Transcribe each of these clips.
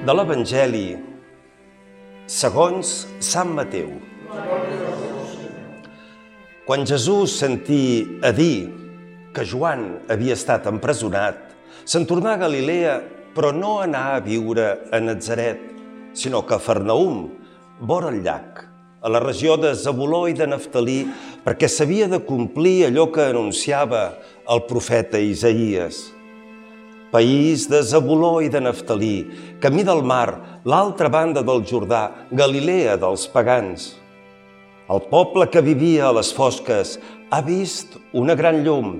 De l'Evangeli segons Sant Mateu. Quan Jesús sentí a dir que Joan havia estat empresonat, se'n tornà a Galilea, però no anà a viure a Natzaret, sinó que a Cafarnaüm, vora el llac, a la regió de Zabuló i de Naftalí, perquè s'havia de complir allò que anunciava el profeta Isaïes. País de Zabuló i de Naftalí, camí del mar, l'altra banda del Jordà, Galilea dels pagans. El poble que vivia a les fosques ha vist una gran llum.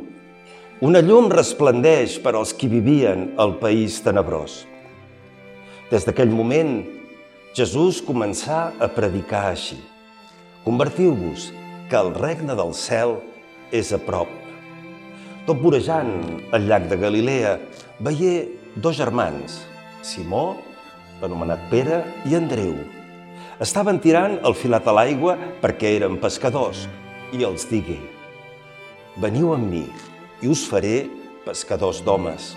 Una llum resplendeix per als qui vivien al país tenebrós. Des d'aquell moment, Jesús començà a predicar així: convertiu-vos, que el regne del cel és a prop. Tot vorejant el llac de Galilea, veié dos germans, Simó, l'anomenat Pere, i Andreu. Estaven tirant el filat a l'aigua perquè eren pescadors, i els digué: veniu amb mi, i us faré pescadors d'homes.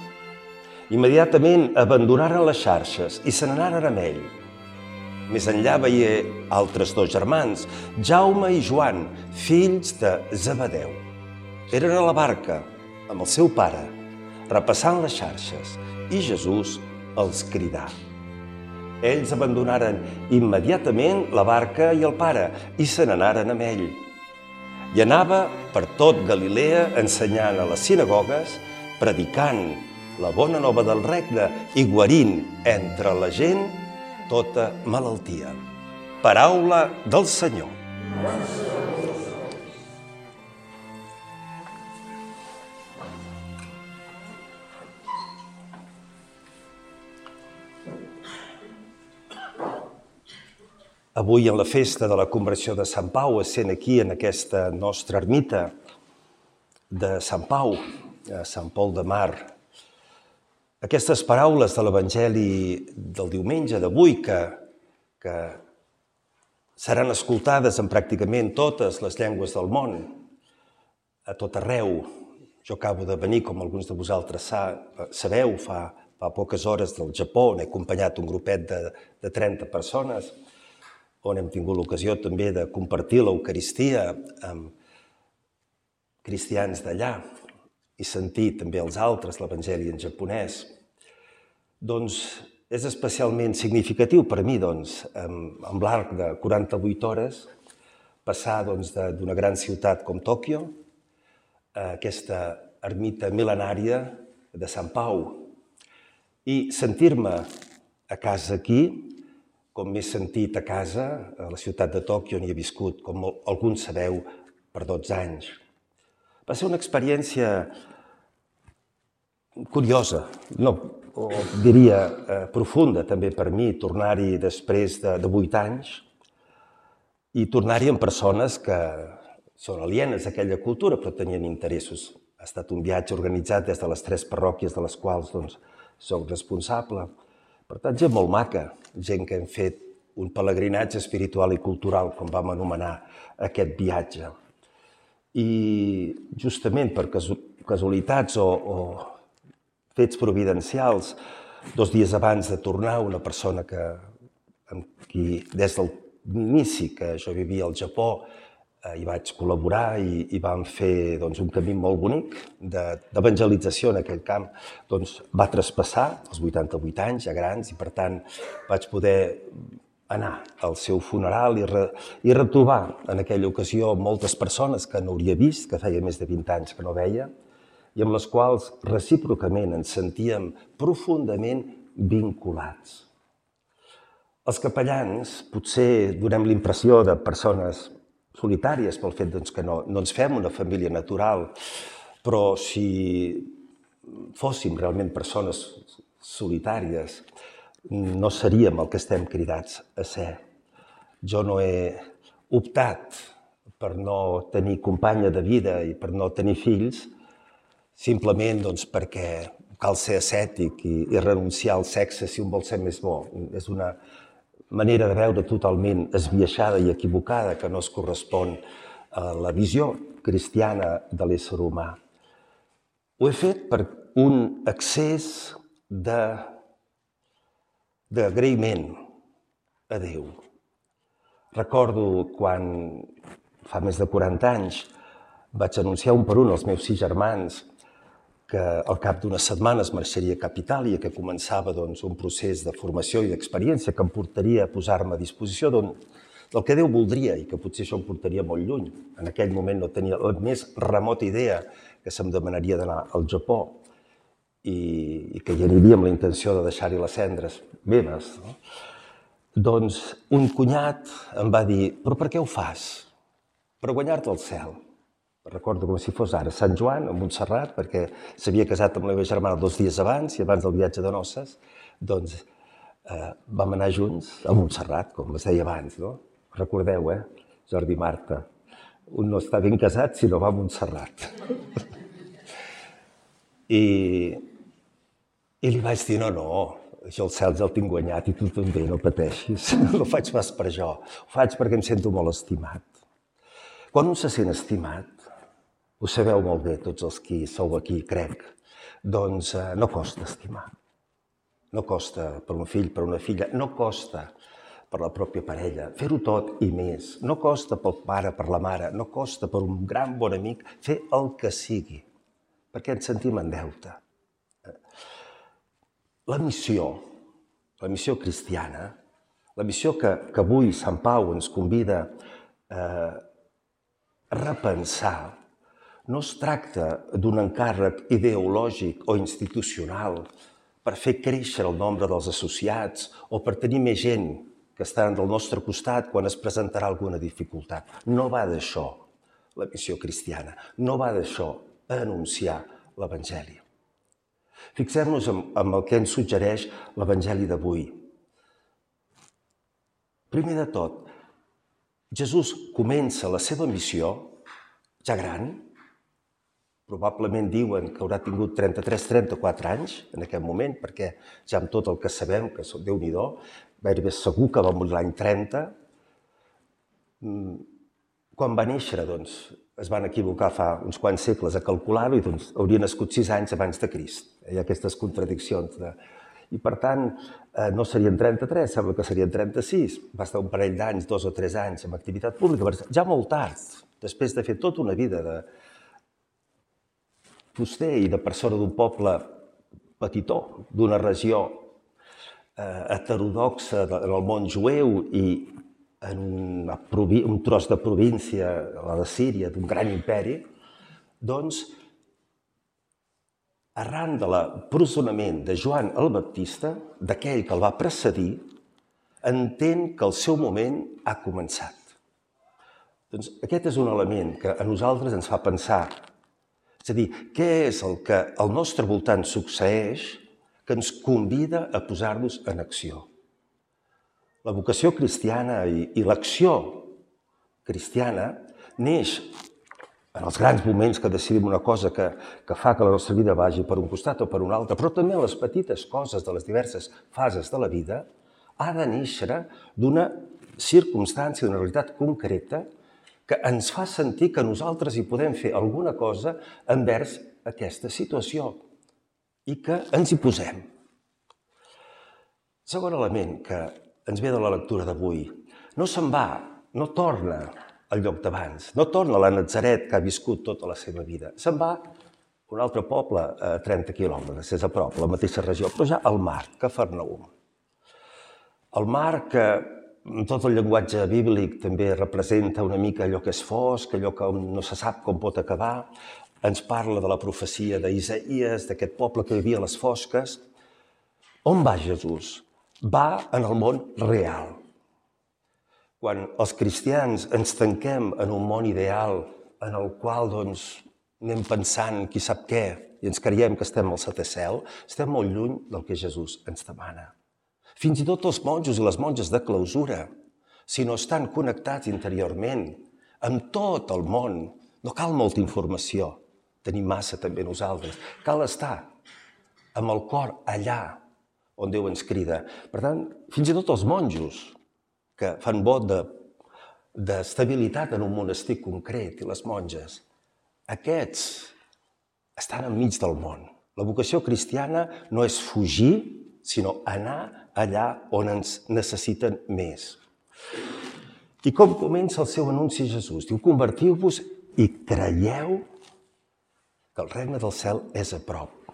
Immediatament abandonaren les xarxes i se n'anaren amb ell. Més enllà veié altres dos germans, Jaume i Joan, fills de Zebedeu. Eren a la barca amb el seu pare, repassant les xarxes, i Jesús els cridà. Ells abandonaren immediatament la barca i el pare i se n'anaren amb ell. I anava per tot Galilea ensenyant a les sinagogues, predicant la bona nova del regne i guarint entre la gent tota malaltia. Paraula del Senyor. Avui, en la festa de la conversió de Sant Pau, essent aquí en aquesta nostra ermita de Sant Pau, a Sant Pol de Mar, aquestes paraules de l'Evangeli del diumenge d'avui, que seran escoltades en pràcticament totes les llengües del món, a tot arreu. Jo acabo de venir, com alguns de vosaltres sabeu, fa poques hores del Japó, on he acompanyat un grupet de 30 persones, on hem tingut l'ocasió també de compartir l'Eucaristia amb cristians d'allà i sentir també els altres l'Evangeli en japonès. Doncs és especialment significatiu per mi, amb l'arc de 48 hores, passar d'una gran ciutat com Tòquio a aquesta ermita mil·lenària de Sant Pau i sentir-me a casa aquí, com m'he sentit a casa, a la ciutat de Tòquio, on hi he viscut, com alguns sabeu, per 12 anys. Va ser una experiència curiosa, o diria profunda també per mi, tornar-hi després de 8 anys i tornar-hi amb persones que són alienes a aquella cultura, però tenien interessos. Ha estat un viatge organitzat des de les 3 parròquies de les quals soc responsable. Per tant, gent molt maca, gent que hem fet un pelegrinatge espiritual i cultural, com vam anomenar aquest viatge. I justament per casualitats o fets providencials, 2 dies abans de tornar, una persona amb qui des de l'inici que jo vivia al Japó hi vaig col·laborar i vam fer un camí molt bonic d'evangelització en aquell camp, va traspassar els 88 anys, ja grans, i per tant vaig poder anar al seu funeral i retrobar en aquella ocasió moltes persones que no hauria vist, que feia més de 20 anys que no veia, i amb les quals recíprocament ens sentíem profundament vinculats. Els capellans potser donem l'impressió de persones solitàries pel fet que no ens fem una família natural, però si fóssim realment persones solitàries, no seríem el que estem cridats a ser. Jo no he optat per no tenir companya de vida i per no tenir fills, simplement perquè cal ser ascètic i renunciar al sexe si un vol ser més bo. És una manera de veure totalment esbiaixada i equivocada que no es correspon a la visió cristiana de l'ésser humà. Ho he fet per un excés de d'agraïment a Déu. Recordo quan, fa més de 40 anys, vaig anunciar un per un als meus 6 germans que al cap d'unes setmanes marxaria cap a Itàlia, que començava un procés de formació i d'experiència que em portaria a posar-me a disposició del que Déu voldria i que potser això em portaria molt lluny. En aquell moment no tenia la més remota idea que se'm demanaria d'anar al Japó i que hi aniria amb la intenció de deixar-hi les cendres meves. Doncs un cunyat em va dir: però per què ho fas? Per guanyar-te el cel. Recordo com si fos ara, Sant Joan, a Montserrat, perquè s'havia casat amb la meva germana 2 dies abans i abans del viatge de noces, doncs vam anar junts a Montserrat, com es deia abans, no? Recordeu, Jordi i Marta, un no està ben casat si no va a Montserrat. I li vaig dir: no, jo el cel ja el tinc guanyat i tu també, no pateixis, no ho faig pas per això, ho faig perquè em sento molt estimat. Quan un se sent estimat, ho sabeu molt bé, tots els qui sou aquí, crec, doncs no costa estimar. No costa per un fill, per una filla, no costa per la pròpia parella, fer-ho tot i més. No costa pel pare, per la mare, no costa per un gran bon amic fer el que sigui, perquè ens sentim en deute. La missió cristiana, la missió que avui Sant Pau ens convida a repensar, no es tracta d'un encàrrec ideològic o institucional per fer créixer el nombre dels associats o per tenir més gent que estaran del nostre costat quan es presentarà alguna dificultat. No va d'això la missió cristiana, no va d'això anunciar l'Evangeli. Fixem-nos en el que ens suggereix l'Evangeli d'avui. Primer de tot, Jesús comença la seva missió ja gran. Probablement diuen que haurà tingut 33-34 anys en aquest moment, perquè ja amb tot el que sabem, que Déu-n'hi-do, gairebé segur que va morir l'any 30. Quan va néixer, doncs, es van equivocar fa uns quants segles a calcular-ho i doncs hauria nascut 6 anys abans de Crist. Hi ha aquestes contradiccions. I per tant, no serien 33, sembla que serien 36. Va estar un parell d'anys, 2 o 3 anys amb activitat pública, ja molt tard, després de fer tota una vida de fuster i de persona d'un poble petitó, d'una regió heterodoxa en el món jueu i en un tros de província, la de Síria, d'un gran imperi, doncs, arran de l'empresonament de Joan el Baptista, d'aquell que el va precedir, entén que el seu moment ha començat. Doncs aquest és un element que a nosaltres ens fa pensar. És a dir, què és el que al nostre voltant succeeix que ens convida a posar-nos en acció? La vocació cristiana i l'acció cristiana neix en els grans moments que decidim una cosa que fa que la nostra vida vagi per un costat o per un altre, però també en les petites coses de les diverses fases de la vida, ha de néixer d'una circumstància, d'una realitat concreta que ens fa sentir que nosaltres hi podem fer alguna cosa envers aquesta situació i que ens hi posem. Segon element que ens ve de la lectura d'avui. No se'n va, no torna al lloc d'abans, no torna a la Natzaret que ha viscut tota la seva vida. Se'n va a un altre poble a 30 quilòmetres, és a prop, la mateixa regió, però ja al mar, Cafarnaum. El mar que tot el llenguatge bíblic també representa una mica allò que és fosc, allò que no se sap com pot acabar. Ens parla de la profecia d'Isaïes, d'aquest poble que vivia a les fosques. On va Jesús? Va en el món real. Quan els cristians ens tanquem en un món ideal en el qual anem pensant qui sap què i ens creiem que estem al setè cel, estem molt lluny del que Jesús ens demana. Fins i tot els monjos i les monges de clausura, si no estan connectats interiorment amb tot el món, no cal molta informació, tenim massa també nosaltres, cal estar amb el cor allà on Déu ens crida. Per tant, fins i tot els monjos que fan vot d'estabilitat en un monestir concret i les monges, aquests estan enmig del món. La vocació cristiana no és fugir, sinó anar allà on ens necessiten més. I com comença el seu anunci a Jesús? Diu, convertiu-vos i creieu que el regne del cel és a prop.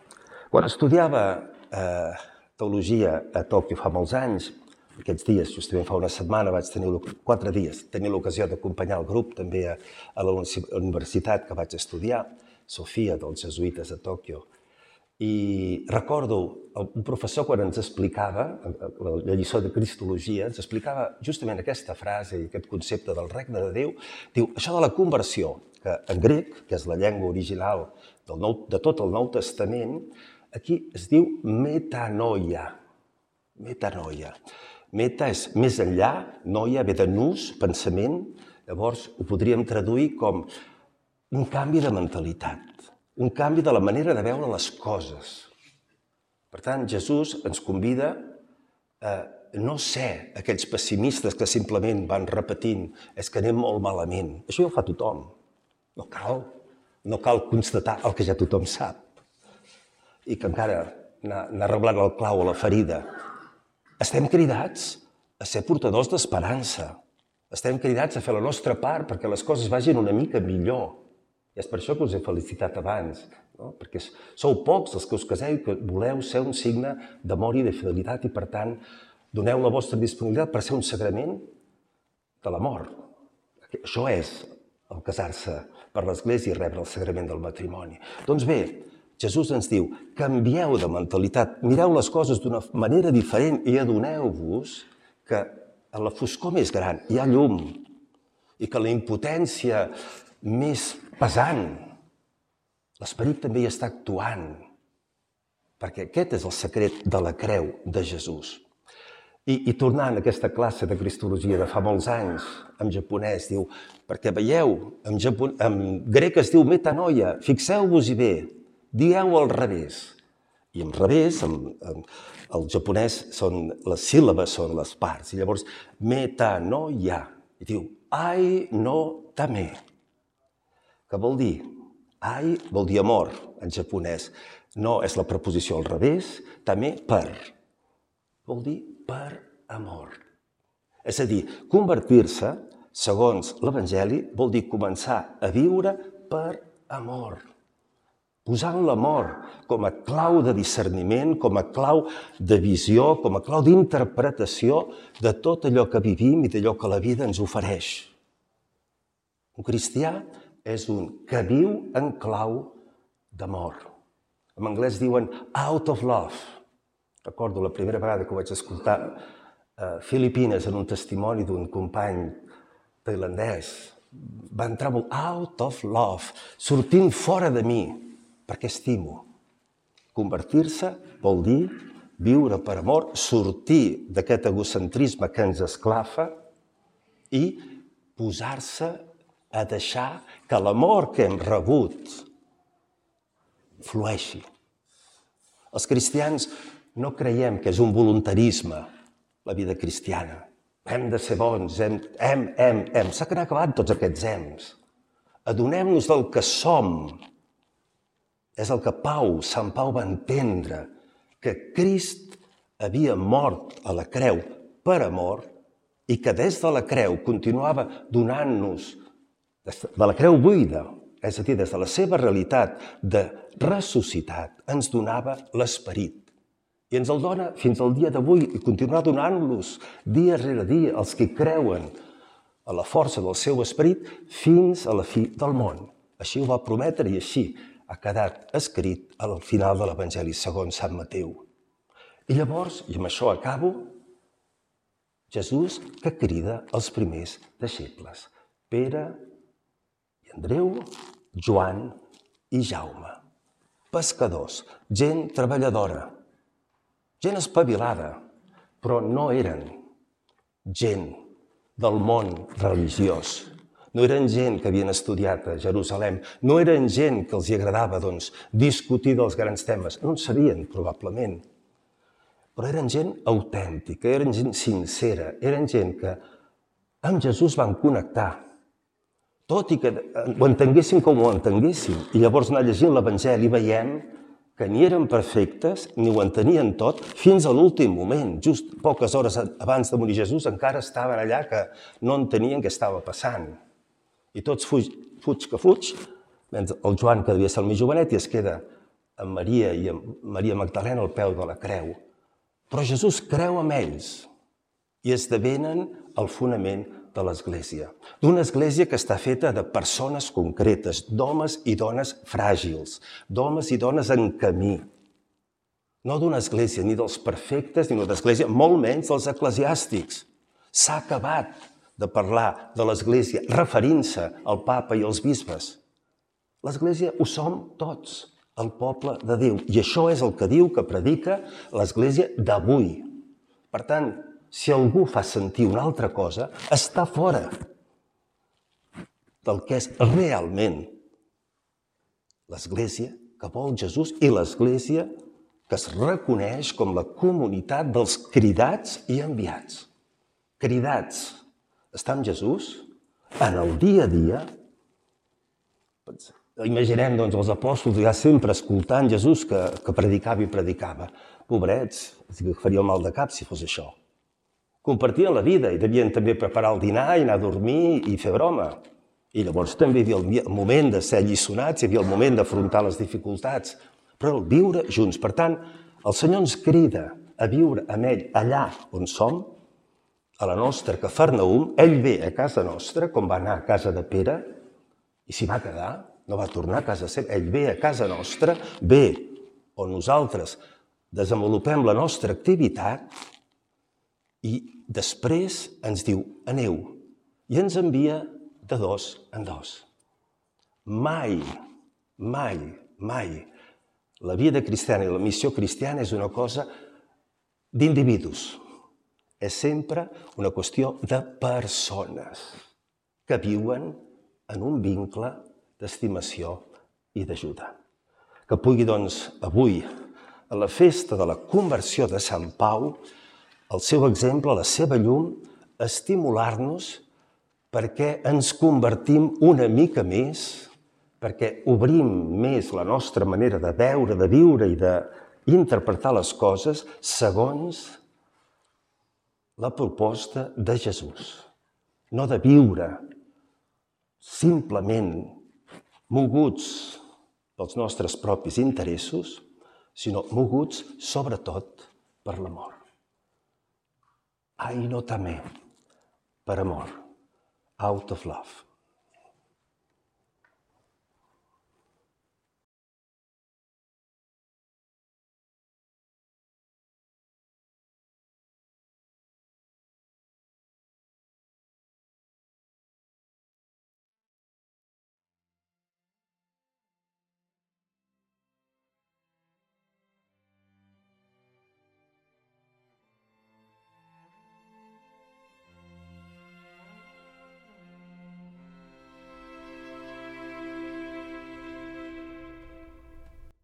Quan estudiava teologia a Tòquio fa molts anys, aquests dies, justament fa una setmana, 4 dies, tenir l'ocasió d'acompanyar el grup també a la universitat que vaig estudiar, Sofia, dels jesuïtes a Tòquio. I recordo un professor quan ens explicava, la lliçó de Cristologia, ens explicava justament aquesta frase i aquest concepte del regne de Déu. Diu, això de la conversió, que en grec, que és la llengua original de tot el Nou Testament, aquí es diu metanoia. Metanoia. Meta és més enllà, noia ve de nous, pensament, llavors ho podríem traduir com un canvi de mentalitat, un canvi de la manera de veure les coses. Per tant, Jesús ens convida a no ser aquells pessimistes que simplement van repetint és que anem molt malament. Això ja ho fa tothom. No cal constatar el que ja tothom sap. I que encara anar reblant el clau a la ferida. Estem cridats a ser portadors d'esperança. Estem cridats a fer la nostra part perquè les coses vagin una mica millor. I és per això que us he felicitat abans, no? Perquè sou pocs els que us caseu i que voleu ser un signe d'amor i de fidelitat i, per tant, doneu la vostra disponibilitat per ser un sagrament de l'amor. Això és el casar-se per l'Església i rebre el sagrament del matrimoni. Doncs bé, Jesús ens diu, canvieu de mentalitat, mireu les coses d'una manera diferent i adoneu-vos que a la foscor més gran hi ha llum i que la impotència més pesant, l'Esperit també hi està actuant, perquè aquest és el secret de la creu de Jesús. I tornant a aquesta classe de Cristologia de fa molts anys, en japonès, diu, perquè veieu, en grec es diu metanoia, fixeu-vos-hi bé, dieu al revés. I en revés, el japonès, les síl·labes són les parts, i llavors metanoia, i diu, ai no tame, que vol dir, ai vol dir amor en japonès, no és la preposició al revés, també per, vol dir per amor. És a dir, convertir-se, segons l'Evangeli, vol dir començar a viure per amor. Posant l'amor com a clau de discerniment, com a clau de visió, com a clau d'interpretació de tot allò que vivim i d'allò que la vida ens ofereix. Un cristià és un que viu en clau d'amor. En anglès diuen out of love. Recordo la primera vegada que ho vaig escoltar a Filipines en un testimoni d'un company tailandès. Va entrar molt out of love, sortint fora de mi, perquè estimo. Convertir-se vol dir viure per amor, sortir d'aquest egocentrisme que ens esclafa i posar-se a deixar que l'amor que hem rebut flueixi. Els cristians no creiem que és un voluntarisme la vida cristiana. Hem de ser bons, hem. S'ha acabat tots aquests hems. Adonem-nos del que som. És el que Sant Pau va entendre, que Crist havia mort a la creu per amor i que des de la creu continuava donant-nos de la creu buida, és a dir, des de la seva realitat de ressuscitat, ens donava l'Esperit. I ens el dona fins al dia d'avui i continuarà donant-los dia rere dia als que creuen a la força del seu Esperit fins a la fi del món. Així ho va prometre i així ha quedat escrit al final de l'Evangeli segons Sant Mateu. I llavors, i amb això acabo, Jesús que crida els primers deixebles, Pere, Andreu, Joan i Jaume. Pescadors, gent treballadora, gent espavilada, però no eren gent del món religiós. No eren gent que havien estudiat a Jerusalem, no eren gent que els agradava discutir dels grans temes, no en sabien probablement, però eren gent autèntica, eren gent sincera, eren gent que amb Jesús van connectar, tot i que ho entenguéssim com ho entenguéssim. I llavors anar llegint l'Evangeli veiem que ni eren perfectes ni ho entenien tot fins a l'últim moment. Just poques hores abans de morir Jesús encara estaven allà que no entenien què estava passant. I tots fuig que fuig, mentre el Joan, que devia ser el més jovenet, i es queda amb Maria i amb Maria Magdalena al peu de la creu. Però Jesús creu amb ells i esdevenen el fonament de l'Església. D'una Església que està feta de persones concretes, d'homes i dones fràgils, d'homes i dones en camí. No d'una Església ni dels perfectes, ni d'una Església, molt menys dels eclesiàstics. S'ha acabat de parlar de l'Església referint-se al papa i als bisbes. L'Església ho som tots, el poble de Déu. I això és el que diu, que predica l'Església d'avui. Per tant, si algú fa sentir una altra cosa, està fora del que és realment l'Església que vol Jesús i l'Església que es reconeix com la comunitat dels cridats i enviats. Cridats a estar amb Jesús en el dia a dia. Imaginem els apòstols ja sempre escoltant Jesús que predicava i predicava. Pobrets, faria mal de cap si fos això. Compartien la vida i devien també preparar el dinar i anar a dormir i fer broma. I llavors també hi havia el moment de ser alliçonats, hi havia el moment d'afrontar les dificultats, però el viure junts. Per tant, el Senyor ens crida a viure amb ell allà on som, a la nostra Cafarnaum. Ell ve a casa nostra, com va anar a casa de Pere, i s'hi va quedar, no va tornar a casa seva. Ell ve a casa nostra, ve on nosaltres desenvolupem la nostra activitat i després ens diu, aneu, i ens envia de dos en dos. Mai, mai, mai la vida cristiana i la missió cristiana és una cosa d'individus. És sempre una qüestió de persones que viuen en un vincle d'estimació i d'ajuda. Que pugui, doncs, avui, a la festa de la conversió de Sant Pau, el seu exemple, la seva llum, estimular-nos perquè ens convertim una mica més, perquè obrim més la nostra manera de veure, de viure i d'interpretar les coses segons la proposta de Jesús. No de viure simplement moguts pels nostres propis interessos, sinó moguts sobretot per l'amor. Ai, no també, per amor, out of love.